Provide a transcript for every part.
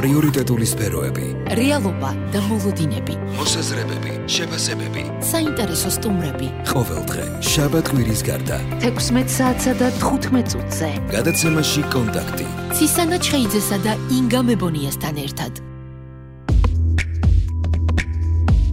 პრიორიტეტული სფეროები, რეალობა და მოლოდინები, მოსაზრებები, შეფასებები, საინტერესო სტუმრები. ყოველდღე, შაბათ-კვირის გარდა, 16 საათსა და 15 წუთზე. გადაცემაში კონტაქტი. ცისანა ჩხეიძესა და ინგა მებონიასთან ერთად.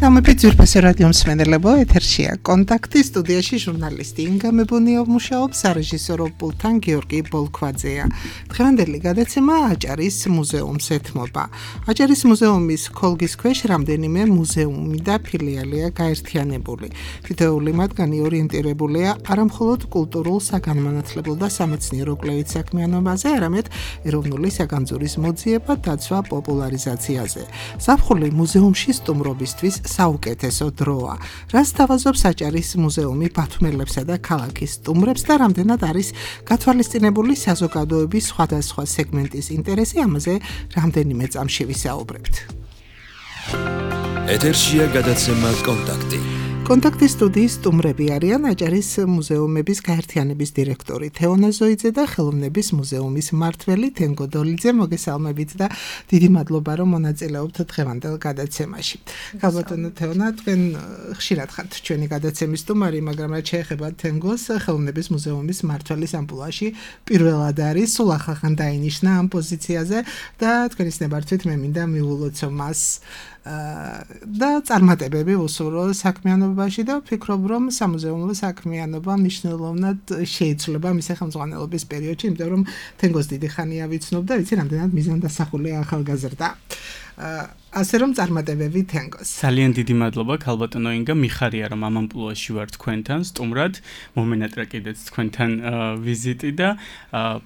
Ამები ძვირფასი რადიო მსმენელებო, ეთერშია კონტაქტი, სტუდიაში ჟურნალისტი ინგა მებონია მუშაობს, სარეჟისორო პულტთან გიორგი ბოლქვაძეა. დღევანდელი გადაცემა აჭარის მუზეუმს ეთმობა. აჭარის მუზეუმის ქოლგის ქვეშ რამდენიმე მუზეუმი და ფილიალია გაერთიანებული. თითოეული მათგანი ორიენტირებულია არამხოლოდ კულტურულ, საგანმანათლებლო და სამეცნიერო კვლევით საქმიანობაზე, არამედ ეროვნული საგანძურის მოძიება, დაცვა, პოპულარიზაციაზე. ზაფხული მუზეუმში სტუმრობისთვის საუკეთესო დროა. რას თავაზობს აჭარის მუზეუმი ბათუმელებსა და ქალაქის სტუმრებს და რამდენად არის გათვალისწინებული საზოგადოების სხვადასხვა სეგმენტის ინტერესი, ამაზე რამდენიმე წამში ვისაუბრებთ. ეთერშია გადაცემა კონტაქტი. კონტაქტის სტუდიის სტუმრები არიან აჭარის მუზეუმების გაერთიანების დირექტორი თეონა ზოიძე და ხელოვნების მუზეუმის მმართველი თენგო დოლიძე. მოგესალმებით და დიდი მადლობა რომ მონაწილეობთ დღევანდელ გადაცემაში. გაბატონო თეონა, თქვენ ხშირად ხართ ჩვენი გადაცემის სტუმარი, მაგრამ რაც შეეხება თენგოს, ხელოვნების მუზეუმის მმართველის ამპლუაში პირველად არის, სულ ახალ დაინიშნა ამ პოზიციაზე და თქვენის ნებართვით მე მინდა მივულოცო მას და წარმატებები უსურვო საქმიანობაში და ვფიქრობ, რომ სამუზეუმო საქმიანობა მნიშვნელოვნად შეიცვლება მისი ხელმძღვანელობის პერიოდში, იმიტომ რომ თენგოს დიდი ხანია ვიცნობ და ვიცი რამდენად მიზანდასახულია ახალგაზრდა. ასე რომ წარმატებები თენგოს. ძალიან დიდი მადლობა ქალბატონო ინგა, მიხარია რომ ამ ამპლუაში ვარ თქვენთან სტუმრად, მომენატრა კიდეც თქვენთან ვიზიტი და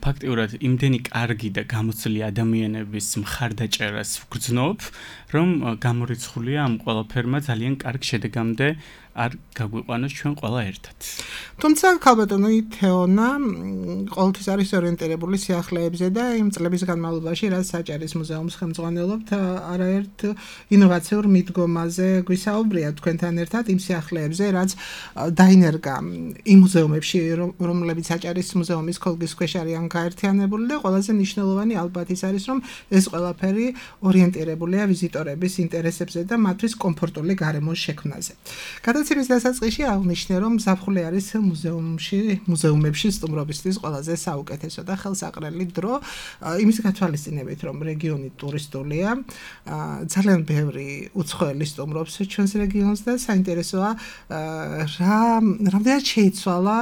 ფაქტიურად იმდენი კარგი და გამოცდილი ადამიანების მხარდაჭერას ვგრძნობ, რომ გამორიცხულია ამ ყველაფერმა ძალიან კარგ შედეგამდე არ გაგვიყვანოს ჩვენ ყველა ერთად. თუმცა ქალბატონო თეონა ყოველთვის არის ორიენტირებული სიახლეებზე და იმ წლების განმავლობაში, რაც აჭარის მუზეუმს ხელმძღვანელობთ, არაერთ ინოვაციურ მიდგომაზე გვისაუბრია თქვენთან ერთად იმ სიახლეებზე, რაც დაინერგა იმ მუზეუმებში, რომლებიც აჭარის მუზეუმის ქოლგის ქვეშ არიან გაერთიანებული და ყველაზე მნიშვნელოვანი ალბათ ის არის, რომ ეს ყველაფერი ორიენტირებულია ვიზიტორების ინტერესებზე და მათთვის კომფორტული გარემოს შექმნაზე. გადაცემის დასაწყისში აღნიშნე, რომ ზაფხული არის მუზეუმებში სტუმრობისთვის ყველაზე საუკეთესო და ხელსაყრელი დრო, იმის გათვალისწინებით, რომ რეგიონი ტურისტულია, ძალიან ბევრი უცხოელი სტუმრობს ჩვენს რეგიონს და საინტერესოა, რამდენად შეიცვალა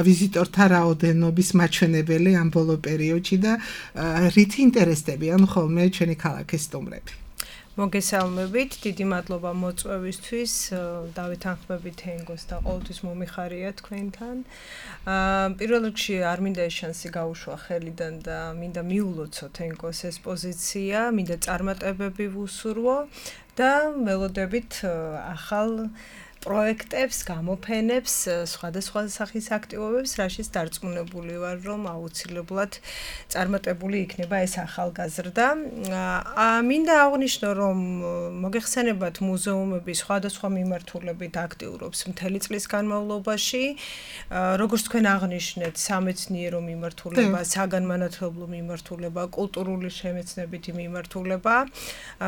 ვიზიტორთა რაოდენობის მაჩვენებელი ამ ბოლო პერიოდში და რითი ინტერესდებიან ხოლმე ჩვენი ქალაქის სტუმრები. მოგესალმებით, დიდი მადლობა მოწვევისთვის, დავეთანხმებით თენგოს და ყოველთვის მომიხარია თქვენთან. პირველ რიგში არ მინდა ეს შანსი გაუშვა ხელიდან და მინდა მიულოცო თენგოს ეს პოზიცია, მინდა წარმატებები ვუსურვო და ველოდებით ახალ პროექტებს, გამოფენებს, სხვადასხვა სახის აქტივობებს, რაშიც დარწმუნებული ვარ, რომ აუცილებლად წარმატებული იქნება ეს ახალგაზრდა. მინდა აღვნიშნო, რომ მოგეხსენებათ მუზეუმები სხვადასხვა მიმართულებით აქტიურობს მთელი წლის განმავლობაში, როგორც თქვენ აღნიშნეთ, სამეცნიერო მიმართულება, საგანმანათლებლო მიმართულება, კულტურული შემეცნებითი მიმართულება.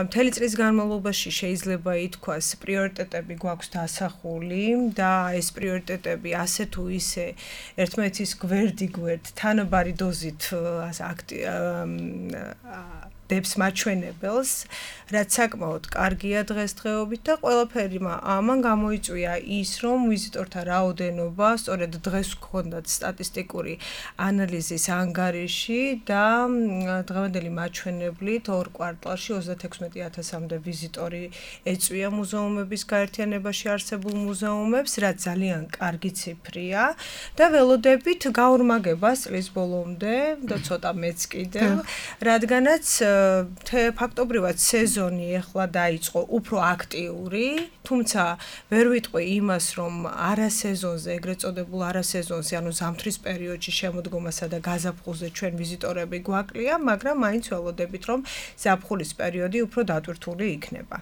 მთელი წლის განმავლობაში შეიძლება ითქვას, პრიორიტეტები გვაქვს და ეს პრიორიტეტები ასე თუ ისე ერთმანეთის გვერდ თანაბარი დოზით დებს მაჩვენებელს, რაც საკმაოდ კარგია დღესდღეობით და ყველაფერი ამან გამოიწვია ის, რომ ვიზიტორთა რაოდენობა სწორედ დღეს გვქონდათ სტატისტიკური ანალიზის ანგარიში და დღევანდელი მაჩვენებლით ორ კვარტალში 36,000-მდე ვიზიტორი ეწვია მუზეუმების გაერთიანებაში არსებულ მუზეუმებს, რაც ძალიან კარგი ციფრია და ველოდებით გაორმაგება წლის ბოლომდე და ცოტა მეც კიდევ, რადგანაც ფაქტობრივად სეზონი ეხლა დაიწყო უფრო აქტიური თუმცა ვერ ვიტყვი იმას, რომ არასეზონზე, ეგრეთ წოდებულ არასეზონზე, ანუ ზამთრის პერიოდში შემოდგომასა და გაზაფხულზე ჩვენ ვიზიტორები გვაკლია, მაგრამ მაინც ველოდებით, რომ ზაფხულის პერიოდი უფრო დატვირთული იქნება.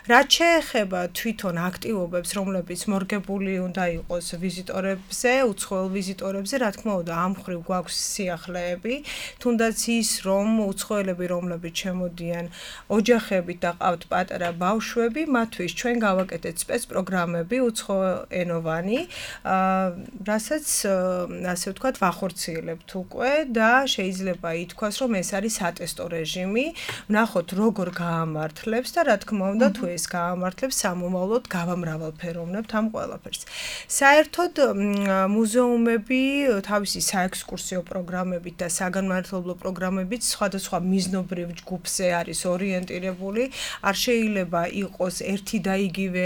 რაც შეეხება თვითონ აქტივობებს, რომლებიც მორგებული უნდა იყოს ვიზიტორებზე, უცხოელ ვიზიტორებზე, რა თქმა უნდა, ამ მხრივ გვაქვს სიახლეები, თუნდაც ის, რომ უცხოელები, რომლებიც შემოდიან ოჯახებით და ყავთ პატარა ბავშვები, მათთვის ჩვენ გავაკეთეთ სპეცპროგრამები უცხოენოვანი, რასაც ასე ვთქვათ, ვახორციელებთ უკვე და შეიძლება ითქვას, რომ ეს არის სატესტო რეჟიმი, ვნახოთ როგორ გაამართლებს და რა თქმა უნდა, თუ ეს გაამართლებს, სამომავლოდ გავამრავალფეროვნებთ ამ ყველაფერს. საერთოდ მუზეუმები თავისი საექსკურსიო პროგრამებით და საგანმანათლებლო პროგრამებით სხვადასხვა მიზნობრივ ჯგუფზე არის ორიენტირებული. არ შეიძლება იყოს ერთი და იგივე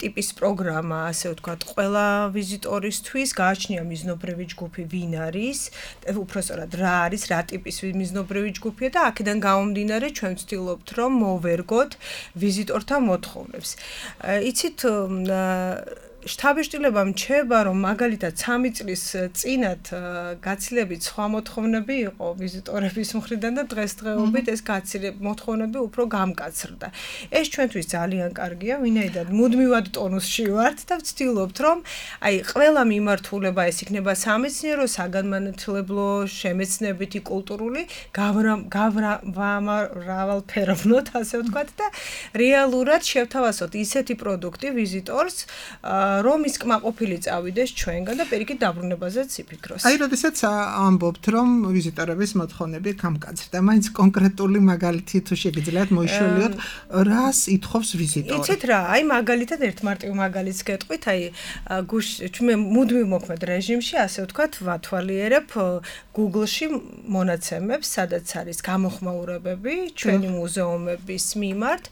ტიპის პროგრამა, ასე ვთქვათ, ყველა ვიზიტორისთვის, გააჩნია მიზნობრივი ჯგუფი ვინ არის, უпростоრად რა არის, რა ტიპის მიზნობრივი ჯგუფია და აქედან გამომდინარე ჩვენ ვცდილობთ, რომ მოვერგოთ ვიზიტორთა მოთხოვნებს. იცით, შთაბეჭდილება მრჩება, რომ მაგალითად 3 წლის წინათ გაცილებით სხვა მოთხოვნები იყო ვიზიტორების მხრიდან და დღესდღეობით ეს მოთხოვნები უფრო გამკაცრდა. ეს ჩვენთვის ძალიან კარგია, ვინაიდან მუდმივად ტონუსში ვართ და ვცდილობთ, რომ აი ყველა მიმართულება ეს იქნება სამეცნიერო, საგანმანათლებლო, შემეცნებითი, კულტურული, გავამრავალფეროვნოთ, ასე ვთქვათ და რეალურად შევთავაზოთ ისეთი პროდუქტი ვიზიტორს, რომ ის კმაყოფილი წავიდეს ჩვენგან და პირიქით დაბრუნებაზეც იფიქროს. აი, როდესაც ამბობთ, რომ ვიზიტორების მოთხოვნები გამკაცრდა, მაინც კონკრეტული მაგალითი თუ შეგიძლიათ მოიშოლიოთ, რას ითხოვს ვიზიტორი? იცით რა, აი მაგალითად ერთ მარტივ მაგალითს გეტყვით, აი ჩვენ მუდმივ მოქმედ რეჟიმში, ასე ვთქვათ, ვათვალიერებ Google-ში მონაცემებს, სადაც არის გამოხმაურებები ჩვენი მუზეუმების მიმართ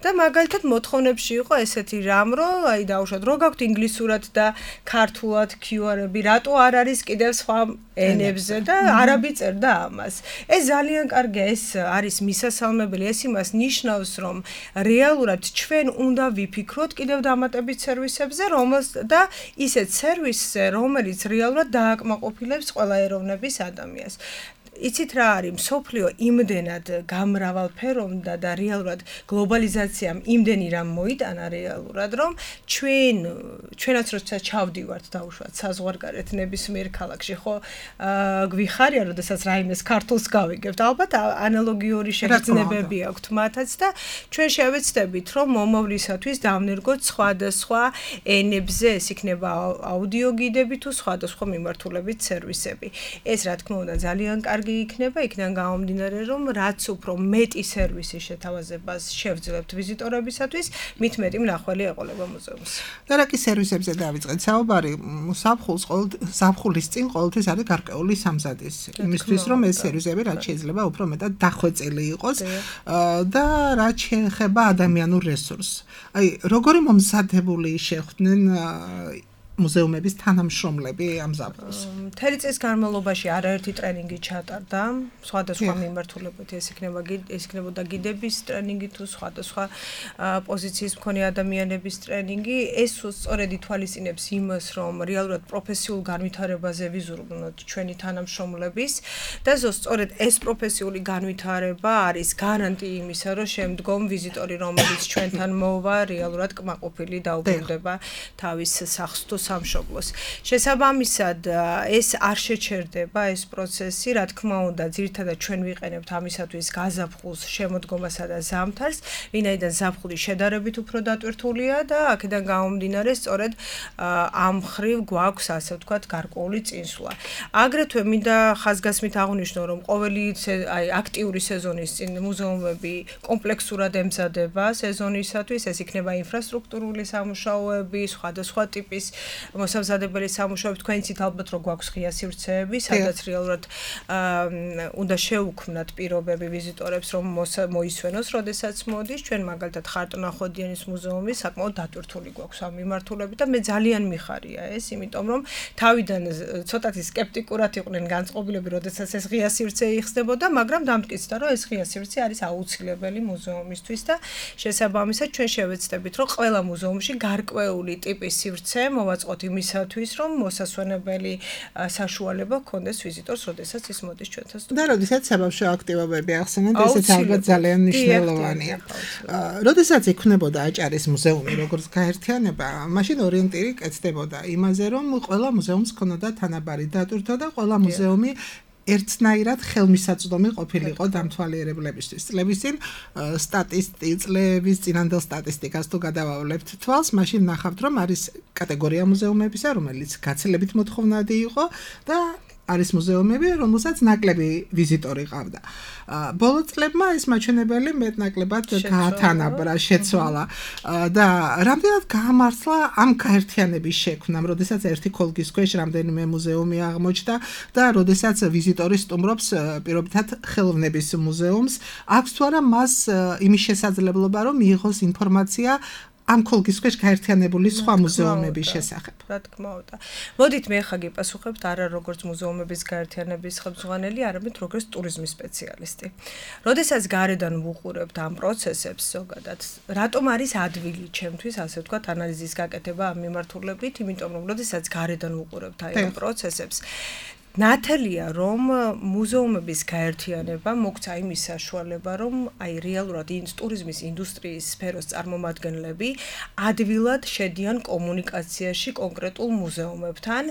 და მაგალითად მოთხოვნებში იყო ესეთი რამ, რომ აი დაუშვათ, რო გაქვთ ინგლისურად და ქართულად QR-ები, რატო არ არის კიდევ სხვა ენებზე და არაბი წერდა ამას. ეს ძალიან კარგია, ეს არის მისასალმებელი, ეს იმას ნიშნავს, რომ რეალურად ჩვენ უნდა ვიფიქროთ კიდევ დამატებით სერვისებზე, და ისეთ სერვისზე, რომელიც რეალურად დააკმაყოფილებს ყველა ეროვნების ადამიანს. იცით რა არის, მსოფლიო იმდენად გამრავალფეროვნდა და რეალურად გლობალიზაციამ იმდენი რამ მოიტანა რეალურად, რომ ჩვენაც როცა ჩავდივართ დაუშვათ საზღვარგარეთ ნებისმიერ ქალაქში, ხო გვიხარია, როდესაც რაიმეს ქართულს გავიგებთ, ალბათ ანალოგიური შეგრძნებები აქვთ მათაც და ჩვენ შევეცდებით, რომ მომავლისათვის დავნერგოთ სხვადასხვა ენებზე, ეს იქნება აუდიო გიდები თუ სხვადასხვა მიმართულებით სერვისები. ეს რა თქმა უნდა ძალიან კარგი იქნება, იქიდან გამომდინარე, რომ რაც უფრო მეტი სერვისის შეთავაზებას შევძლებთ ვიზიტორებისათვის, მით მეტი მნახველი ეყოლება მუზეუმს. და რა კი სერვისებზე დავიწყეთ საუბარი, ზაფხულის წინ ყოველთვის არის გარკვეული სამზადის, იმისთვის, რომ ეს სერვისები რაც შეიძლება უფრო მეტად დახვეწილი იყოს და რაც შეეხება ადამიანურ რესურსს. აი, როგორი მომზადებული შეხვდნენ მუზეუმების თანამშრომლები ამ ზაფხულს? მთელი წლის განმავლობაში არაერთი ტრენინგი ჩატარდა, სხვადასხვა მიმართულებით, ეს იქნებოდა გიდების ტრენინგი თუ სხვადასხვა პოზიციის მქონე ადამიანების ტრენინგი. ეს სწორედ ითვალისწინებს იმას, რომ რეალურად პროფესიულ განვითარებაზე ვიზრუნოთ ჩვენი თანამშრომლების და სწორედ ეს პროფესიული განვითარება არის გარანტი იმისა, რომ შემდგომ ვიზიტორი, რომელიც ჩვენთან მოვა, რეალურად კმაყოფილი დაუბრუნდება თავის სახლს თუ სამშობლოს. შესაბამისად, ეს არ შეჩერდება ეს პროცესი, რა თქმა უნდა, ძირითადად ჩვენ ვიყენებთ ამისათვის გაზაფხულს, შემოდგომასა და ზამთარს, ვინაიდან ზაფხული შედარებით უფრო დატვირთულია და აქედან გამომდინარე, სწორედ ამ მხრივ გვაქვს, ასე ვთქვათ, გარკვეული წინსვლა. აგრეთვე მინდა ხაზგასმით აღვნიშნო, რომ ყოველი აქტიური სეზონის წინ მუზეუმები კომპლექსურად ემზადება სეზონისათვის, ეს იქნება ინფრასტრუქტურული სამუშაოები, სხვადასხვა ტიპის მოსამზადებელი სამუშაოები, თქვენიცით ალბათ რო გვაქვს ღია სივრცეები, სადაც რეალურად უნდა შეუქმნათ პირობები ვიზიტორებს, რომ მოისვენოს, როდესაც მოდის. ჩვენ მაგალითად ხარტონახვედიანის მუზეუმი საკმაოდ დატვირთული გვაქვს ამ მიმართულებით და მე ძალიან მიხარია ეს, იმიტომ რომ თავიდან ცოტათი სკეპტიკურად იყვნენ განწყობილები, როდესაც ეს ღია სივრცე იხსნებოდა, მაგრამ დამტკიცდა, რომ ეს ღია სივრცე არის აუცილებელი მუზეუმისთვის და შესაბამისად ჩვენ შევეცდებით, რომ ყველა მუზეუმში გარკვეული ტიპის სივრცე მოვაწყოთ იმისათვის, რომ მოსასვენებელი საშუალება ჰქონდეს ვიზიტორს, როდესაც ის მოდის ჩვენთან. და როდესაც საბავშვო აქტივობები ახსენეთ, ესეც ალბათ ძალიან მნიშვნელოვანია. როდესაც იქნებოდა აჭარის მუზეუმი, როგორც გაერთიანება, მაშინ ორიენტირი კეთდებოდა იმაზე, რომ ყველა მუზეუმს ჰქონოდა თანაბარი დატვირთვა და ყველა მუზეუმი ერთნაირად ხელმისაწვდომი ყოფილიყო დამთვალიერებლებისთვის. წლების წინ წლების წინანდელ სტატისტიკას თუ გადავავლებთ თვალს, მაშინ ნახავთ, რომ არის კატეგორია მუზეუმებისა, რომელიც გაცილებით მოთხოვნადი იყო და არის მუზეუმები, რომელსაც ნაკლები ვიზიტორი ყავდა. ბოლო წლებმა ეს მაჩვენებელი მეტნაკლებად გაათანაბრა, შეცვალა და რამდენად გაამართლა ამ გაერთიანების შექმნამ, როდესაც ერთი ქოლგის ქვეშ რამდენიმე მუზეუმი აღმოჩნდა და როდესაც ვიზიტორი სტუმრობს პირობითად ხელოვნების მუზეუმს, აქვს თუ არა მას იმის შესაძლებლობა, რომ მიიღოს ინფორმაცია ამ ქოლგის ქვეშ გაერთიანებული სხვა მუზეუმების შესახებ. რა თქმა უნდა. მოდით მე ხა გიპასუხებთ არა როგორც მუზეუმების გაერთიანების ხელმძღვანელი, არამედ როგორც ტურიზმის სპეციალისტი. როდესაც გარედან ვუყურებთ ამ პროცესებს ზოგადად, რატომ არის ადვილი ჩემთვის, ასე ვთქვათ, ანალიზის გაკეთება ამ მიმართულებით, იმიტომ რომ როდესაც გარედან ვუყურებთ აი ამ პროცესებს, ნათელია, რომ მუზეუმების გაერთიანება მოგცა იმის საშუალება, რომ აი რეალურად ტურიზმის ინდუსტრიის სფეროს წარმომადგენლები ადვილად შედიან კომუნიკაციაში კონკრეტულ მუზეუმებთან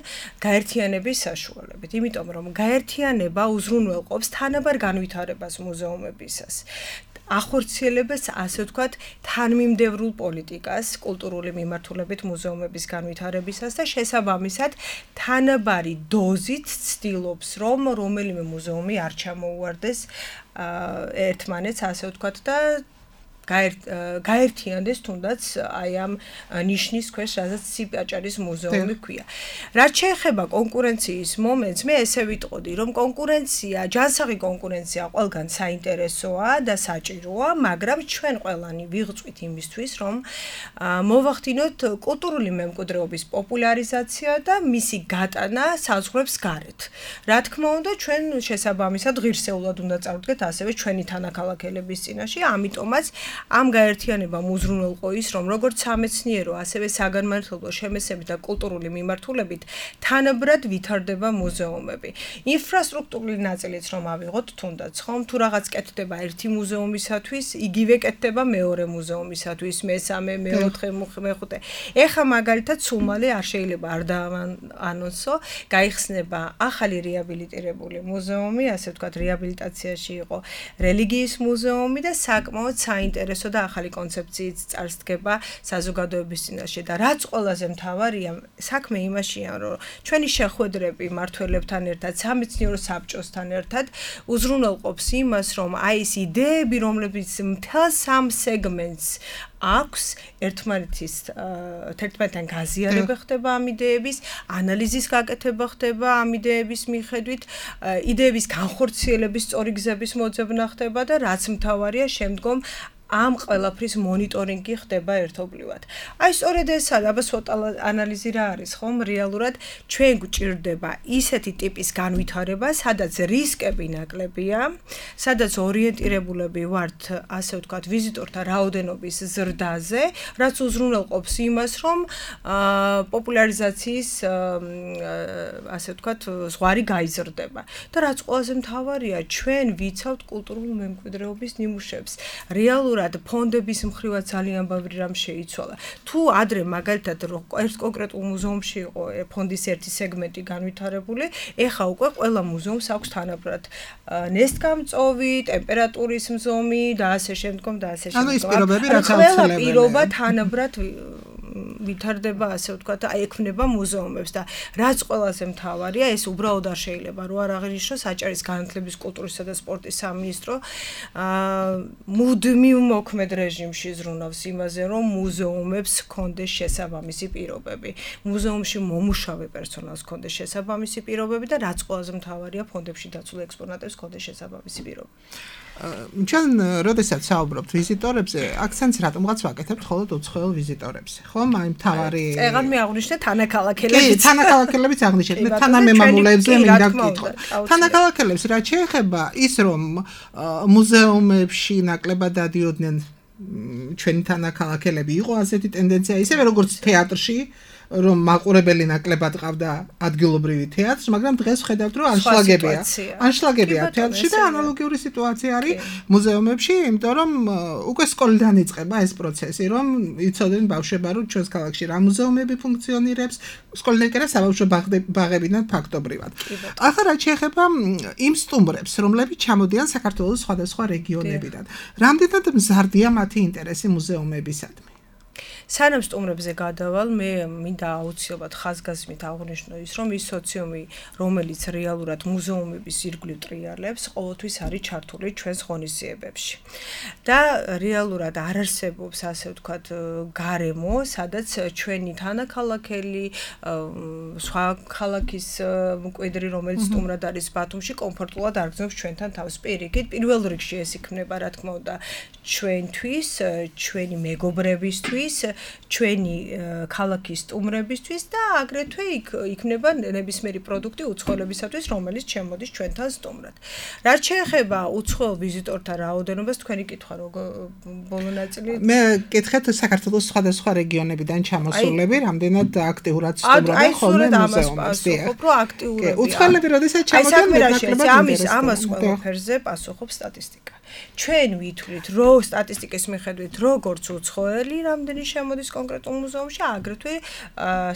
გაერთიანების საშუალებით. იმიტომ რომ გაერთიანება უზრუნველყოფს თანაბარ განვითარებას მუზეუმებისას. ახორციელებს, ასე ვთქვათ, თანმიმდევრულ პოლიტიკას კულტურული მიმართულებით მუზეუმების განვითარებისას და შესაბამისად თანაბარი დოზით ცდილობს, რომ რომელიმე მუზეუმი არ ჩამოუვარდეს ერთმანეთს, ასე ვთქვათ და გაერთიანდეს თუნდაც აი ამ ნიშნის ქვეშ, სადაც სიაჭარის მუზეუმი ქვია. რაც შეეხება კონკურენციის მომენტს, მე ესე ვიტყოდი, რომ კონკურენცია, ჯანსაღი კონკურენცია ყველგან საინტერესოა და საჭიროა, მაგრამ ჩვენ ყველანი ვიღწვით იმისთვის, რომ მოვახდინოთ კულტურული მემკვიდრეობის პოპულარიზაცია და მისი გატანა საზღვრებს გარეთ. რა თქმა უნდა, ჩვენ შესაბამისად ღირსეულად უნდა წავდგეთ ასევე ჩვენი თანაქალაქელების წინაშე, ამიტომაც ამ გაერთიანებამ უზრუნველყო ის, რომ როგორც სამეცნიერო, ასევე საგანმანათლებლო შემეცნებით და კულტურული მიმართულებით თანაბრად ვითარდება მუზეუმები. ინფრასტრუქტურული ნაწილიც რომ ავიღოთ თუნდაც, ხომ, თუ რაღაც კეთდება ერთი მუზეუმისათვის, იგივე კეთდება მეორე მუზეუმისათვის, მესამე, მეოთხე, მეხუთე. ეხლა მაგალითად სულ მალე არ შეიძლება არ დაანონსო, გაიხსნება ახალი რეაბილიტირებული მუზეუმი, ასე ვთქვათ, რეაბილიტაციაში იყო რელიგიის მუზეუმი და საკმაოდ საინტერესო და ახალი კონცეფციით წარსდგება საზოგადოების წინაშე და რაც ყველაზე მთავარია, საქმე იმაშია, რომ ჩვენი შეხვედრები მმართველებთან ერთად, სამეცნიერო საბჭოსთან ერთად უზრუნველყოფს იმას, რომ აი ეს იდეები, რომლებიც მთელ სამ სეგმენტს აქვს, ერთმანეთთან გაზიარება ხდება ამ იდეების, ანალიზის გაკეთება ხდება ამ იდეების მიხედვით, იდეების განხორციელების სწორი გზების მოძებნა ხდება და რაც მთავარია, შემდგომ ამ ყველაფრის მონიტორინგი ხდება ერთობლივად. აი სწორედ ეს აბა ცოტა ანალიზი რა არის, ხომ? რეალურად ჩვენ გვჭირდება ისეთი ტიპის განვითარება, სადაც რისკები ნაკლებია, სადაც ორიენტირებულები ვართ, ასე ვთქვათ, ვიზიტორთა რაოდენობის ზრდაზე, რაც უზრუნველყოფს იმას, რომ პოპულარიზაციის ასე ვთქვათ, ზღვარი გაიზრდება. და რაც ყველაზე მთავარია, ჩვენ ვიცავთ კულტურულ მემკვიდრეობის ნიმუშებს. რეალურად ფონდების მხრივაც ძალიან ბევრი რამ შეიცვალა. თუ ადრე მაგალითად ერთ კონკრეტულ მუზეუმში იყო ფონდის ერთი სეგმენტი განვითარებული, ეხლა უკვე ყველა მუზეუმს აქვს თანაბრად ნესტგამწოვი, ტემპერატურის მზომი და ასე შემდგომ და ასე შემდგომ. ანუ ის პირობები რაც აუცილებელია. ყველა პირობა თანაბრად ვითარდება, ასე ვთქვათ, აი ექმნება მუზეუმებს და რაც ყველაზე მთავარია, ეს უბრალოდ არ შეიძლება რო არ აღინიშნოს საჭირის განათლების, კულტურისა და სპორტის სამინისტრო მუდმივ მოქმედ რეჟიმში ზრუნავს იმაზე, რომ მუზეუმებს ჰქონდეს შესაბამისი პირობები. მუზეუმში მომუშავე პერსონალს ჰქონდეს შესაბამისი პირობები და რაც ყველაზე მთავარია, ფონდებში დაცულ ექსპონატებს ჰქონდეს შესაბამისი პირობები. ჩვენ როდესაც საუბრობთ ვიზიტორებზე, აქცენტს რატომღაც ვაკეთებთ მხოლოდ უცხოელ ვიზიტორებზე. ხომ? აი მთავარი წეგან მე აღვნიშნე თანაქალაქელებიც. კი, თანაქალაქელებიც აღვნიშნეთ. მე თანამემამულეებზე მინდა ვკითხო. თანაქალაქელებს რაც შეეხება ის რომ მუზეუმებში ნაკლებად დადიოდნენ ჩვენი თანაქალაქელები იყო ასეთი ტენდენცია ისევე როგორც թეატრში რომ მაყურებელი ნაკლებად ყავდა ადგილობრივი თეატრს, მაგრამ დღეს ხედავთ რომ ანშლაგებია თეატრში და ანალოგიური სიტუაცია არის მუზეუმებში, იმიტომ რომ უკვე სკოლიდან იწყება ეს პროცესი, რომ იცოდნენ ბავშვებმა რომ ჩვენს ქალაქში რა მუზეუმები ფუნქციონირებს, სკოლიდან კიდე საბავშვო ბაღებიდან ფაქტობრივად. ახლა რაც შეეხება იმ სტუმრებს, რომლებიც ჩამოდიან საქართველოს სხვადასხვა რეგიონებიდან, რამდენად მზარდია მათი ინტერესი მუზეუმებისადმი? სანამ სტუმრებზე გადავალ, მე მინდა აუცილებლად ხაზგასმით აღვნიშნო ის, რომ ის სოციუმი, რომელიც რეალურად მუზეუმების ირგვლივ ტრიალებს, ყოველთვის არის ჩართული ჩვენს ღონისძიებებში. და რეალურად არ არსებობს, ასე ვთქვათ, გარემო, სადაც ჩვენი თანაქალაქელი, სხვა ქალაქის მკვიდრი, რომელიც სტუმრად არის ბათუმში, კომფორტულად არგზნობს ჩვენთან თავს. პირიქით, პირველ რიგში ეს იქნება, რა თქმა უნდა, ჩვენთვის, ჩვენი მეგობრებისთვის, ჩვენი ქალაქის სტუმრებისთვის და აგრეთვე იქნება ნებისმიერი პროდუქტი უცხოელებისათვის, რომელიც შემოდის ჩვენთან სტუმრად. რაც შეეხება უცხოელ ვიზიტორთა რაოდენობას, თქვენი კითხვა ბოლო ნაწილი მე კითხეთ საქართველოს სხვადასხვა რეგიონებიდან ჩამოსულები, რამდენად აქტიურად სტუმრობენ ხოლმე მუზეუმებს. უფრო აქტიურები. უცხოელები როდესაც ჩამოდიან, ამას ყველაფერზე პასუხობს სტატისტიკა. ჩვენ ვითვლით, რომ სტატისტიკის მიხედვით, როგორც უცხოელი რამდენი შემოდის კონკრეტულ მუზეუმში, აგრეთვე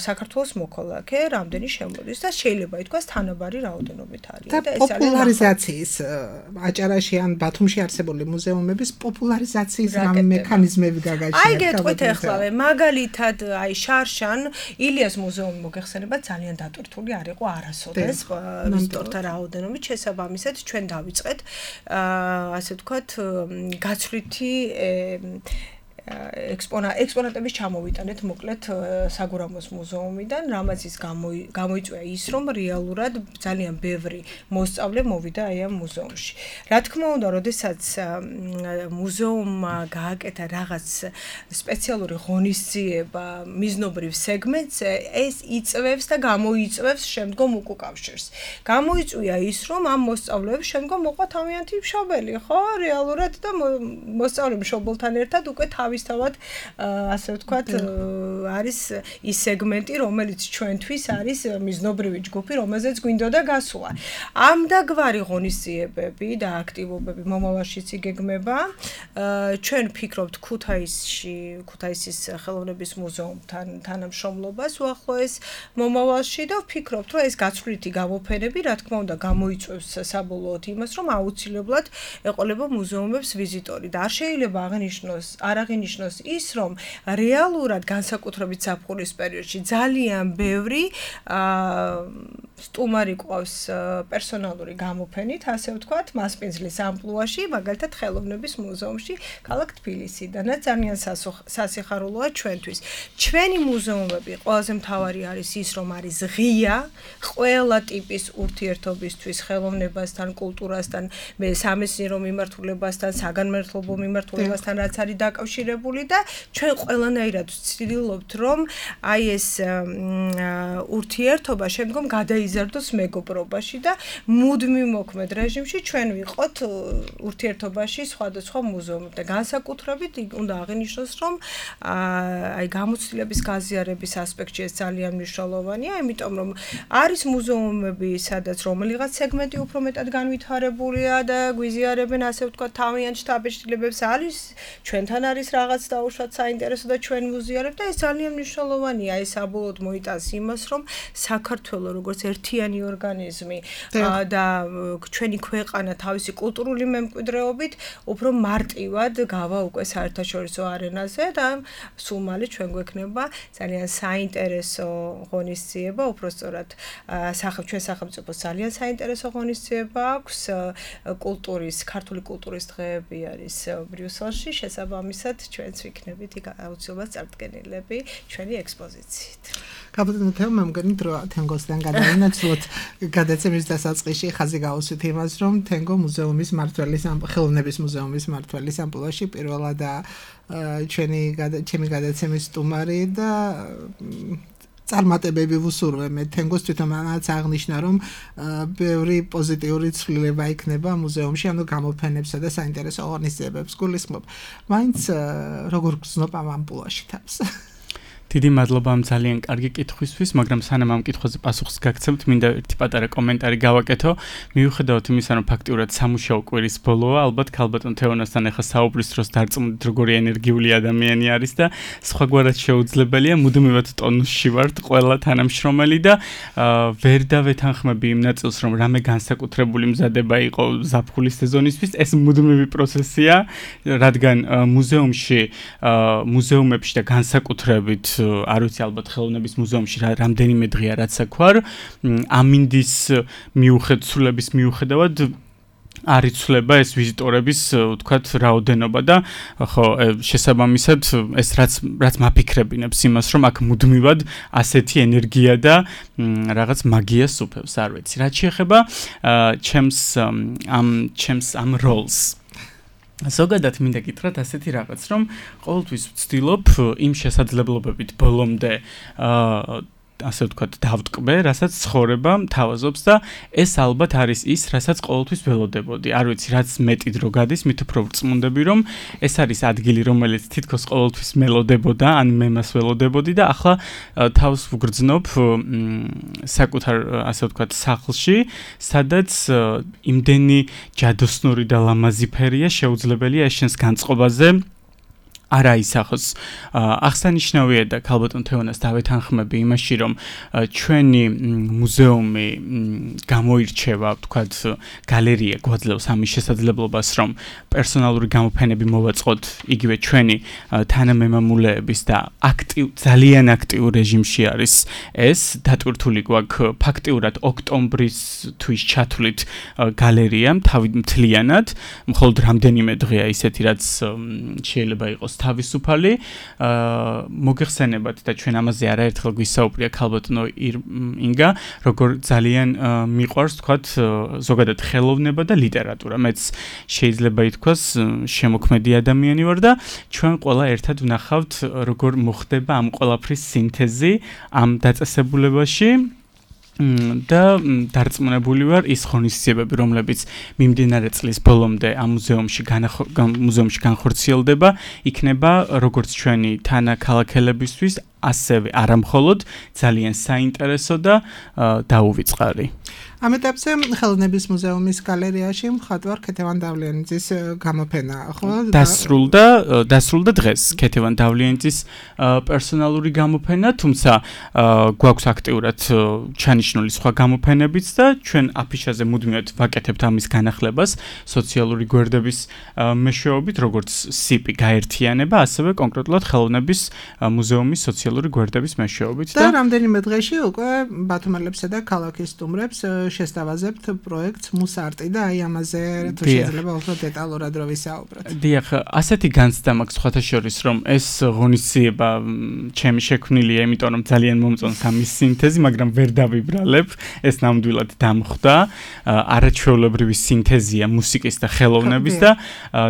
საქართველოს მოქალაქე რამდენი შემოდის და შეიძლება ითქვას თანაბარი რაოდენობით არის. და პოპულარიზაციის აჭარაში ან ბათუმში არსებული მუზეუმების პოპულარიზაციის რამ მექანიზმები გაგაჩნიათ? აი გეტყვით ახლავე, მაგალითად, აი შარშან ილიას მუზეუმი მოგეხსენება ძალიან დატვირთული არ იყო არასოდეს ვიზიტორთა რაოდენობით, შესაბამისად ჩვენ დავიწყეთ ასე ვთქვათ, გაცვლითი ექსპონატების ჩამოვიტანეთ მოკლედ საგურამოს მუზეუმიდან, რამაც ის გამოიწვია ის, რომ რეალურად ძალიან ბევრი მოსწავლე მოვიდა აი ამ მუზეუმში. რა თქმა უნდა, როდესაც მუზეუმმა გააკეთა რაღაც სპეციალური ღონისძიება მიზნობრივ სეგმენტს, ეს იწვევს და გამოიწვევს შემდგომ უკავშირს. გამოიწვია ის, რომ ამ მოსწავლეებს შემდგომ მოყვა თავიანთი მშობელი, ხო? რეალურად და მოსწავლე მშობელთან ერთად უკვე თავისთავად ასე ვთქვათ არის ის სეგმენტი, რომელიც ჩვენთვის არის მიზნობრივი ჯგუფი, რომელზეც გვინდოდა გასვლა. ამ დაგვარი ღონისძიებები და აქტივობები მომავალშიც იგეგმება. ჩვენ ვფიქრობთ ქუთაისის ხელოვნების მუზეუმთან თანამშრომლობას უახლოეს მომავალში და ვფიქრობთ, რომ ეს გაცვლითი გამოფენები, რა თქმა უნდა, გამოიწვევს საბოლოოდ იმას, რომ აუცილებლად ეყოლება მუზეუმებს ვიზიტორი და არ შეიძლება არ აღინიშნოს ის, რომ რეალურად განსაკუთრებით ზაფხულის პერიოდში ძალიან ბევრი სტუმარი ყავს პერსონალური გამოფენით, ასე ვთქვათ, მასპინძლის ამპლუაში, მაგალითად ხელოვნების მუზეუმში ქალაქ თბილისიდანაც ძალიან სასიხარულოა ჩვენთვის. ჩვენი მუზეუმები ყველაზე მთავარი არის ის, რომ არის ღია ყველა ტიპის ურთიერთობისთვის, ხელოვნებასთან, კულტურასთან, სამეცნიერო მიმართულებასთან, საგანმანათლებლო მიმართულებასთან, რაც არის დაკავშირებული და ჩვენ ყველანაირად ვცდილობთ, რომ აი ეს ურთიერთობა შემდგომ გადაიზარდოს მეგობრობაში და მუდმივ მოქმედ რეჟიმში ჩვენ ვიყოთ ურთიერთობაში სხვადასხვა მუზეუმებთან და განსაკუთრებით უნდა აღინიშნოს, რომ აი გამოცდილების გაზიარების ასპექტში ეს ძალიან მნიშვნელოვანია, იმიტომ რომ არის მუზეუმები, სადაც რომელიღაც სეგმენტი უფრო მეტად განვითარებულია და გვიზიარებენ, ასე ვთქვათ, თავიანთ შთაბეჭდილებებს, არის ჩვენთან არის რაღაც დაუშვათ საინტერესო და ჩვენ ვუზიარებთ და ეს ძალიან მნიშვნელოვანია, ეს საბოლოოდ მოიტანს იმას, რომ საქართველოს როგორც ერთიანი ორგანიზმი და ჩვენი ქვეყანა თავისი კულტურული მემკვიდრეობით უფრო მარტივად გავა უკვე საერთაშორისო არენაზე და სულ მალე ჩვენ გვექნება ძალიან საინტერესო ღონისძიება, უბრალოდ ჩვენ სახელმწიფოს ძალიან საინტერესო ღონისძიება აქვს კულტურის, ქართული კულტურის დღეები არის ბრიუსელში, შესაბამისად ჩვენც ვიქნებით იქ აუცილებლად წარდგენილები ჩვენი ექსპოზიციით. Kabutno თემა მგონი დრო თენგოსთან გადავინაცვლოთ გადაცემის დასაწყისში ხაზი გავუსვით იმას, რომ თენგო მუზეუმის მმართველის ხელოვნების მუზეუმის მმართველის ამპლუაში პირველადაა ჩემი გადაცემის სტუმარი და წარმატებები ვუსურვებ მე თენგოს თვითონაც აღნიშნა რომ ბევრი პოზიტიური ცვლილება იქნება მუზეუმში ანუ გამოფენებსა და საინტერესო ღონისძიებებს გულისხმობ მაინც როგორ გრძნობ ამ ამპლუაში თავს დიდი მადლობა ამ ძალიან კარგი კითხვისთვის, მაგრამ სანამ ამ კითხვაზე პასუხს გაგცემთ, მინდა ერთი პატარა კომენტარი გავაკეთო. მიუხედავად იმისა, რომ ფაქტიურად სამუშაო კვირის ბოლოა, ალბათ ქალბატონ თეონასთან ახლა საუბრის დროს დარწმუნდით, როგორი ენერგიული ადამიანი არის და სხვაგვარად შეუძლებელია, მუდმივად ტონუსში ვართ, ყველა თანამშრომელი და ვერ დავეთანხმები იმ ნაწილს, რომ რამე განსაკუთრებული მზადება იყო ზაფხულის სეზონისთვის, ეს მუდმივი პროცესია, რადგან მუზეუმებში და განსაკუთრებით არ ვიცი ალბათ ხელოვნების მუზეუმში რამდენიმე დღეა რაც აქვარ ამინდის მიუხედავად მიუხედავად არ იცვლება ეს ვიზიტორების ვთქვათ რაოდენობა და ხო შესაბამისად ეს რაც მაფიქრებინებს იმას რომ აქ მუდმივად ასეთი ენერგია და რაღაც მაგიას უფევს არ ვიცი რაც შეეხება ჩემს ამ როლს ზოგადად მინდა გითხრათ ასეთი რაღაც რომ ყოველთვის ვცდილობ იმ შესაძლებლობებით ბოლომდე ასე ვთქვათ დავტკბე, რასაც ცხოვრება მთავაზობს და ეს ალბათ არის ის, რასაც ყოველთვის ველოდებოდი. არ ვიცი, რაც მეტი დრო გადის, მით უფრო ვწმუნდები, რომ ეს არის ადგილი, რომელიც თითქოს ყოველთვის მელოდებოდა, ან მე მას ველოდებოდი და ახლა თავს ვგრძნობ საკუთარ, ასე ვთქვათ, სახლში, სადაც იმდენი ჯადოსნური და ლამაზი ფერია, შეუძლებელია ეს შენს განწყობაზე არა ისახოს აღსანიშნავია და ქალბატონ თეონას დავეთანხმები იმაში რომ ჩვენი მუზეუმი გამოირჩევა ვთქვათ გალერეა გვაძლევს ამის შესაძლებლობას რომ პერსონალური გამოფენები მოვაწყოთ იგივე ჩვენი თანამემამულეების და ძალიან აქტიურ რეჟიმში არის ეს დატვირთული გვაქვს ფაქტიურად ოქტომბრის თვის ჩათვლით გალერეა მთლიანად მხოლოდ რამდენიმე დღეა ისეთი რაც შეიძლება იყოს თავისუფალი მოგეხსენებათ და ჩვენ ამაზე არაერთხელ გვისაუბრია ქალბატონო ინგა როგორ ძალიან მიყვარს თქვათ ზოგადად ხელოვნება და ლიტერატურა მეც შეიძლება ითქვას შემოქმედი ადამიანი ვარ და ჩვენ ყველა ერთად ვნახავთ როგორ მოხდება ამ ყველაფრის სინთეზი ამ დაწესებულებაში და დარწმუნებული ვარ ის ღონისძიებები რომლებიც მიმდინარე წლის ბოლომდე ამ მუზეუმში განხორციელდება იქნება როგორც ჩვენი თანაქალაქელებისთვის ასევე არამხოლოდ ძალიან საინტერესო და დაუვიწყარი ამ ეტაპზე ხელოვნების მუზეუმის გალერეაში მხატვარ ქეთევან დავლიანიძის გამოფენა ხო დასრულდა დღეს ქეთევან დავლიანიძის პერსონალური გამოფენა თუმცა გვაქვს აქტიურად ჩანიშნული სხვა გამოფენებიც და ჩვენ აფიშაზე მუდმივად ვაკეთებთ ამის განახლებას სოციალური გვერდების მეშვეობით როგორც სიპი გაერთიანება ასევე კონკრეტულად ხელოვნების მუზეუმის სოციალური გვერდების მეშვეობით და რამდენიმე დღეში უკვე ბათუმელებსა და ქალაქის სტუმრებს შესთავაზებთ პროექტს მუსარტი და აი ამაზე თუ შეიძლება უფრო დეტალურად რო ვისაუბროთ. დიახ, ასეთი განცდა მაქვს სხვათა შორის, რომ ეს ღონისძიება ჩემი შექმნილია, იმიტომ რომ ძალიან მომწონს ამის სინთეზი, მაგრამ ვერ დავიბრალებ, ეს ნამდვილად დამხვდა. არაჩვეულებრივი სინთეზია მუსიკის და ხელოვნების და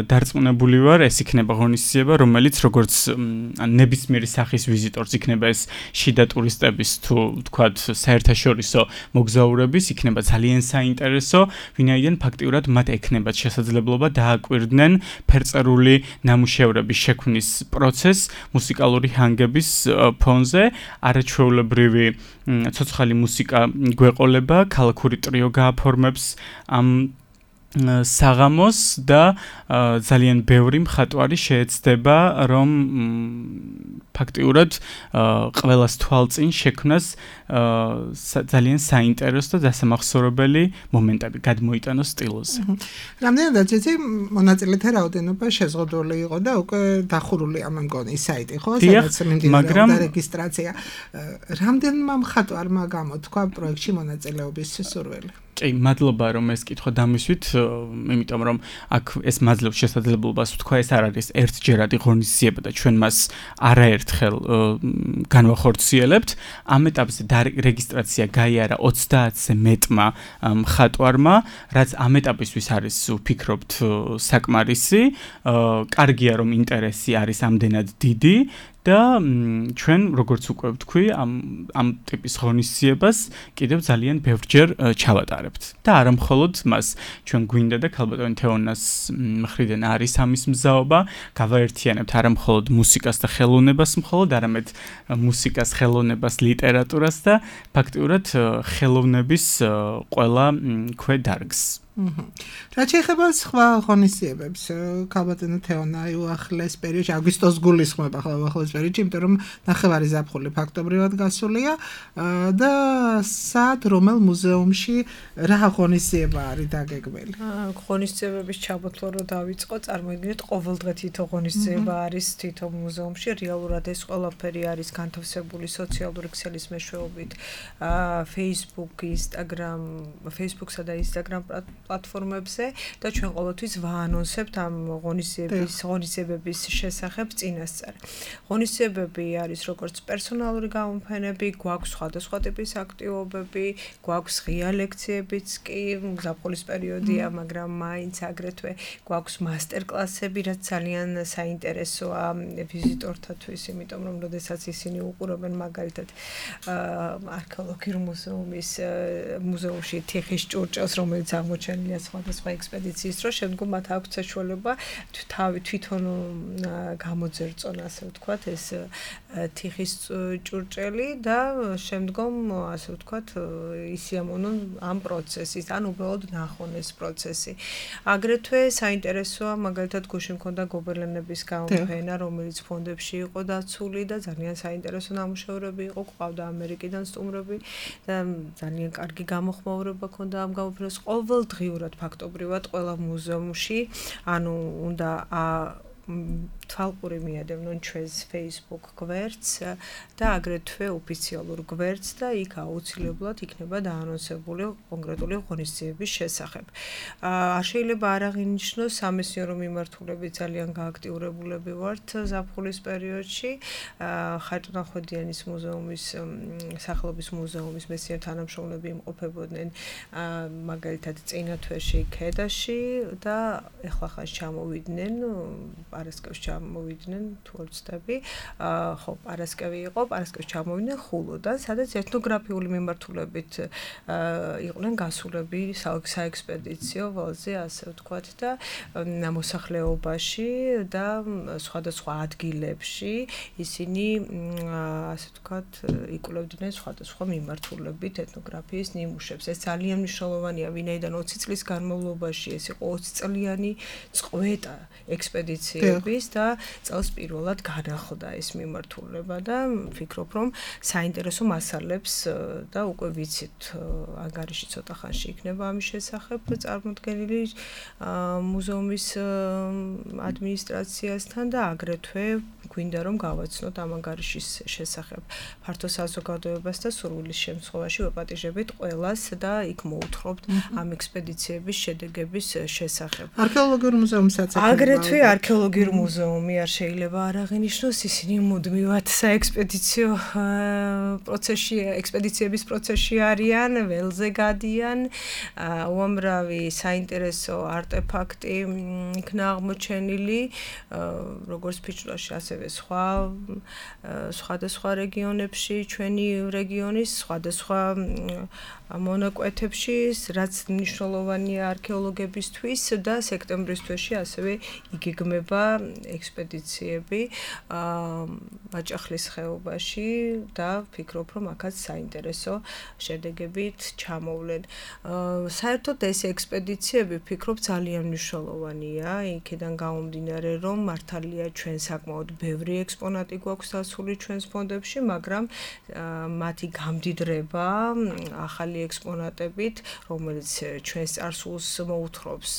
დარწმუნებული ვარ, ეს იქნება ღონისძიება, რომელიც როგორც ნებისმიერი სახის ვიზიტორს იქნება ეს შიდა ტურისტების თუ ვთქვათ საერთაშორისო მოგზაურების იქნება ძალიან საინტერესო, ვინაიდან ფაქტიურად მათ ექნებათ შესაძლებლობა დააკვირდნენ ფერწერული ნამუშევრების შექმნის პროცესს მუსიკალური ჰანგების ფონზე, არაჩვეულებრივი ცოცხალი მუსიკა გვეყოლება, ქალაქური ტრიო გააფორმებს ამ საღამოს და ძალიან ბევრი მხატვარი შეეცდება რომ ფაქტიურად ყველას თვალწინ შექმნას ძალიან საინტერესო და დასამახსოვრებელი მომენტები გადმოიტანოს სტილოზე. რამდენადაც იცი მონაწილეთა რაოდენობა შეზღუდული იყო და უკვე დახურული ამ მგონი საიტი ხო სადაც მიმდინარეობდა რეგისტრაცია. რამდენმა მხატვარმა გამოთქვა პროექტში მონაწილეობის სურვილი? კი, მადლობა რომ ეს კითხვა დამისვით, იმიტომ რომ აქ ეს მაძლევს შესაძლებლობას ვთქვა, ეს არ არის ერთჯერადი ღონისძიება და ჩვენ მას არაერთხელ განვახორციელებთ. ამ ეტაპზე რეგისტრაცია გაიარა 30-ზე მეტმა მხატვარმა, რაც ამ ეტაპისთვის არის ვფიქრობთ საკმარისი. კარგია რომ ინტერესი არის ამდენად დიდი. და ჩვენ როგორც უკვე ვთქვი ამ ტიპის ღონისძიებას კიდევ ძალიან ბევრჯერ ჩავატარებთ და არა მხოლოდ მას ჩვენ გვინდა და ქალბატონი თეონას მხრიდან არის ამის მზაობა გავაერთიანებთ არა მხოლოდ მუსიკას და ხელოვნებას მხოლოდ არამედ მუსიკას ხელოვნებას ლიტერატურას და ფაქტიურად ხელოვნების ყველა ქვედარგს რაც შეეხება სხვა ღონისძიებებს, ქალბატონი თეონა უახლეს პერიოდში, აგვისტოს გულისხმობა უახლეს პერიოდში, იმიტომ რომ ნახევარი ზაფხული ფაქტობრივად გასულია და სად რომელ მუზეუმში რა ღონისძიება არის დაგეგმილი? ღონისძიებების ჩამოთვლა რო დავიწყო, წარმოიდგინეთ, ყოველდღე თითო ღონისძიება არის თითო მუზეუმში, რეალურად ეს ყველაფერი არის განთავსებული სოციალური ქსელის მეშვეობით, Facebook, Instagram, Facebook-სა და Instagram პლატფორმებზე და ჩვენ ყოველთვის ვაანონსებთ ამ ღონისძიებების შესახებ წინასწარ. ღონისძიებები არის როგორც პერსონალური გამოფენები, გვაქვს სხვადასხვა ტიპის აქტივობები, გვაქვს ღია ლექციებიც კი, ზაფხულის პერიოდია, მაგრამ მაინც აგრეთვე გვაქვს მასტერკლასები, რაც ძალიან საინტერესოა ვიზიტორთათვის, იმიტომ რომ როდესაც ისინი უყურებენ მაგალითად არქეოლოგიურ მუზეუმში თიხის ჭურჭელს, რომელიც აღმოჩენილია სხვადასხვა ექსპედიციის დროს, შემდგომ მათ აქვს საშუალება თვითონ გამოძერწონ, ასე ვთქვათ, ეს თიხის ჭურჭელი და შემდგომ, ასე ვთქვათ, ისიამოვნონ ამ პროცესის, ან უბრალოდ ნახონ ეს პროცესი. აგრეთვე საინტერესოა, მაგალითად, გუშინ მქონდა გობელენების გამოფენა, რომელიც ფონდებში იყო დაცული და ძალიან საინტერესო ნამუშევრები იყო, ყავდა ამერიკიდან სტუმრები და ძალიან კარგი გამოხმაურება ჰქონდა ამ გამოფენას. ყოველდღიურად ფაქტობრივად ყველა მუზეუმში, ანუ უნდა თვალყური მიადევნონ ჩვენს Facebook გვერდს და აგრეთვე ოფიციალურ გვერდს და იქ აუცილებლად იქნება დაანონსებული კონკრეტული ღონისძიების შესახებ. არ შეიძლება არ აღინიშნოს სამეცნიერო მიმართულებით ძალიან გააქტიურებულები ვართ ზაფხულის პერიოდში. ხაჭნახვედიანის მუზეუმის სახელობის მუზეუმის მეცნიერ თანამშრომლები იმყოფებოდნენ მაგალითად წინა თვეში ქედაში და ეხლა ხან ჩამოვიდნენ პარასკევს ჩამოვიდნენ თუ არ ვცდები, ხო, პარასკევი იყო, პარასკევს ჩამოვიდნენ ხულოდან, სადაც ეთნოგრაფიული მიმართულებით იყვნენ გასულები საექსპედიციო ველზე, ასე ვთქვათ და მოსახლეობაში და სხვადასხვა ადგილებში ისინი, ასე ვთქვათ, იკვლევდნენ სხვადასხვა მიმართულებით ეთნოგრაფიის ნიმუშებს. ეს ძალიან მნიშვნელოვანია, ვინაიდან 20 წლის განმავლობაში ეს იყო 20 წლიანი წყვეტა ექსპედიციების და წელს პირველად განახლდა ეს მიმართულება და ვფიქრობ, რომ საინტერესო მასალებს და უკვე ვიცით, ანგარიში ცოტა ხანში იქნება ამის შესახებ წარმოდგენილი მუზეუმის ადმინისტრაციასთან და აგრეთვე გვინდა რომ გავაცნოთ ამ ანგარიშის შესახებ ფართო საზოგადოებას და სურვილის შემთხვევაში ვეპატიჟებით ყველას და იქ მოუთხრობთ ამ ექსპედიციების შედეგების შესახებ. არქეოლოგიურ მუზეუმსაც აგრეთვე არქეოლოგიურ მუზეუმი არ შეიძლება არ აღინიშნოს, ისინი მუდმივად საექსპედიციო პროცესში, ექსპედიციების პროცესში არიან, ველზე გადიან, უამრავი საინტერესო არტეფაქტი იქნა აღმოჩენილი, როგორც ფიჭვლაში, ასევე სხვადასხვა რეგიონებში, ჩვენი რეგიონის სხვადასხვა მონაკვეთებში, რაც მნიშვნელოვანია არქეოლოგებისთვის და სექტემბრის თვეში ასევე იგეგმება ექსპედიციები მაჭახლის ხეობაში და ვფიქრობ, რომ აქაც საინტერესო შედეგებით ჩამოვლენ. საერთოდ ეს ექსპედიციები ვფიქრობ ძალიან მნიშვნელოვანია, იქიდან გამომდინარე, რომ მართალია ჩვენ საკმაოდ ბევრი ექსპონატი გვაქვს დასული ჩვენს ფონდებში, მაგრამ მათი გამდიდრება ახალი ექსპონატებით, რომელიც ჩვენს წარსულს მოუთხრობს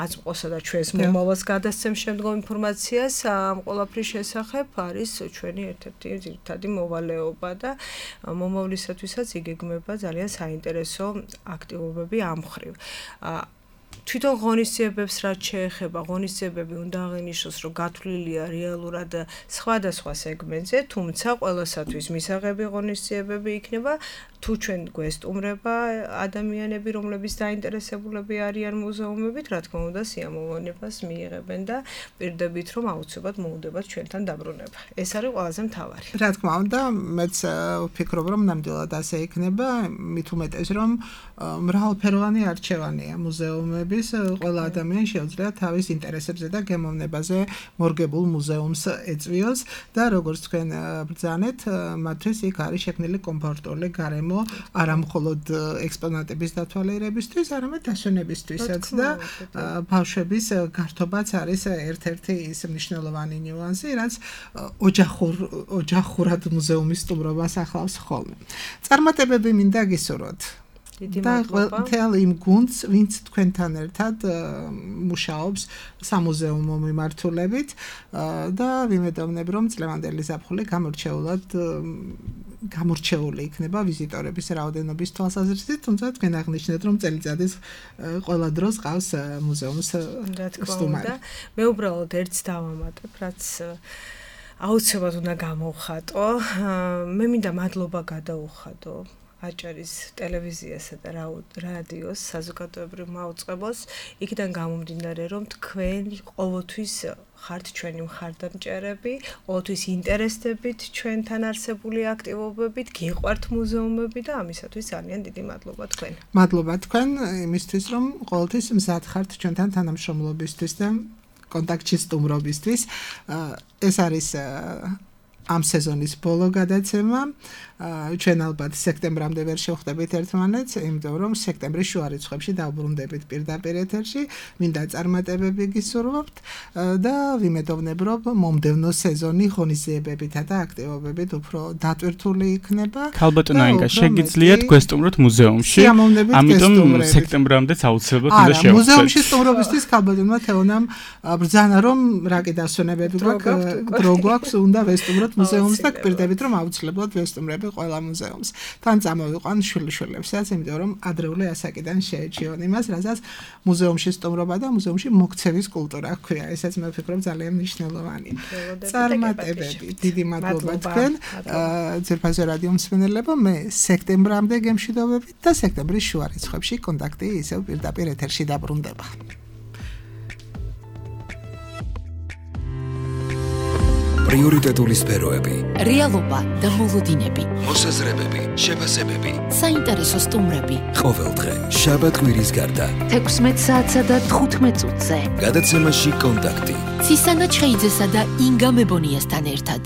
აწმყოსა და ჩვენს მომავალს გადასცემს შემდგომ ინფორმაციას ამ ყველაფრის შესახებ არის ჩვენი ერთ-ერთი ძირითადი მოვალეობა და მომავლისათვისაც იგეგმება ძალიან საინტერესო აქტივობები ამ მხრივ. თვითონ ღონისძიებებს რაც შეეხება, ღონისძიებები უნდა აღინიშნოს, რომ გათვლილია რეალურად სხვადასხვა სეგმენტზე, თუმცა ყველასათვის მისაღები ღონისძიებები იქნება, თუ ჩვენ გვესტუმრება ადამიანები, რომლებიც დაინტერესებულები არიან მუზეუმებით, რა თქმა უნდა, სიამოვნებას მიიღებენ და პირდებით, რომ აუცილებლად მოუდებათ ჩვენთან დაბრუნება. ეს არის ყველაზე მთავარი. რა თქმა უნდა, მეც ვფიქრობ, რომ ნამდვილად ასე იქნება, მით უმეტეს, რომ მრავალფეროვანი არჩევანია მუზეუმების, ყველა ადამიანი შეუძლია თავის ინტერესებზე და გემოვნებაზე მორგებულ მუზეუმს ეწვიოს და როგორც თქვენ ბრძანეთ, მათთვის იქ არის შექმნილი კომფორტული გარემო არა მხოლოდ ექსპონატების დათვალიერებისთვის, არამედ დასვენებისთვისაც და ბავშვების გართობაც არის ერთ-ერთი ის მნიშვნელოვანი ნიუანსი, რაც ოჯახურად მუზეუმის სტუმრობას ახლავს ხოლმე. წარმატებები მინდა გისურვოთ. და მთელ იმ გუნდს, ვინც თქვენთან ერთად მუშაობს სამუზეუმო მიმართულებით და ვიმედოვნებ, რომ წლევანდელი ზაფხული გამორჩეული იქნება ვიზიტორების რაოდენობის თვალსაზრისით, თუმცა თქვენ აღნიშნეთ, რომ წელიწადის ყველა დროს ყავს მუზეუმს სტუმარი. მე უბრალოდ ერთს დავამატებ, რაც აუცილებლად უნდა გამოვხატო. მე მინდა მადლობა გადაუხადო აჭარის ტელევიზიასა და რადიოს საზოგადოებრივ მაუწყებელს, იქიდან გამომდინარე, რომ თქვენ ყოველთვის ხართ ჩვენი მხარდამჭერები, ყოველთვის ინტერესდებით ჩვენთან არსებული აქტივობებით, გიყვართ მუზეუმები და ამისათვის ძალიან დიდი მადლობა თქვენ. მადლობა თქვენ იმისთვის, რომ ყოველთვის მზად ხართ ჩვენთან თანამშრომლობისთვის და კონტაქტში სტუმრობისთვის. ეს არის ამ სეზონის ბოლო გადაცემა. ჩვენ ალბათ სექტემბრამდე ვერ შევხვდებით ერთმანეთს, იმიტომ რომ სექტემბრის შუა რიცხვებში დავბრუნდებით პირდაპირ ეთერში. მინდა წარმატებები გისურვებთ და ვიმედოვნებ, რომ მომდევნო სეზონი ღონისძიებებითა და აქტივობებით უფრო დატვირთული იქნება. ქალბატონო ინგა, შეგიძლიათ გვესტუმროთ მუზეუმში. ამიტომ სექტემბრამდეც აუცილებლად უნდა შევხვდეთ. მუზეუმში სტუმრობისთვის ქალბატონმა თეონამ ბრძანა, რომ რაკი დასვენებები გვაქვს, დრო გვაქვს, უნდა ვესტუმროთ მუზეუმს და გპირდებით, რომ აუცილებლად ვესტუმრები ყველა მუზეუმს. თან წამოვიყვან შვილიშვილებსაც, იმიტომ რომ ადრეული ასაკიდან შეეჩიონ იმას, რასაც მუზეუმში სტუმრობა და მუზეუმში მოქცევის კულტურა ჰქვია. ესაც მე ვფიქრობ ძალიან მნიშვნელოვანია. წარმატებები, დიდი მადლობა თქვენ. ძვირფასო რადიო მსმენელებო, მე სექტემბრამდე გემშვიდობებით და სექტემბრის შუა რიცხვებში კონტაქტი ისევ პირდაპირ ეთერში დაბრუნდება. პრიორიტეტული სფეროები, რეალობა და მოლოდინები, მოსაზრებები, შეფასებები, საინტერესო სტუმრები. ყოველდღე შაბათ-კვირის გარდა 16 საათსა და 15 წუთზე გადაცემაში კონტაქტი. ცისანა ჩხეიძესა და ინგა მებონიასთან ერთად.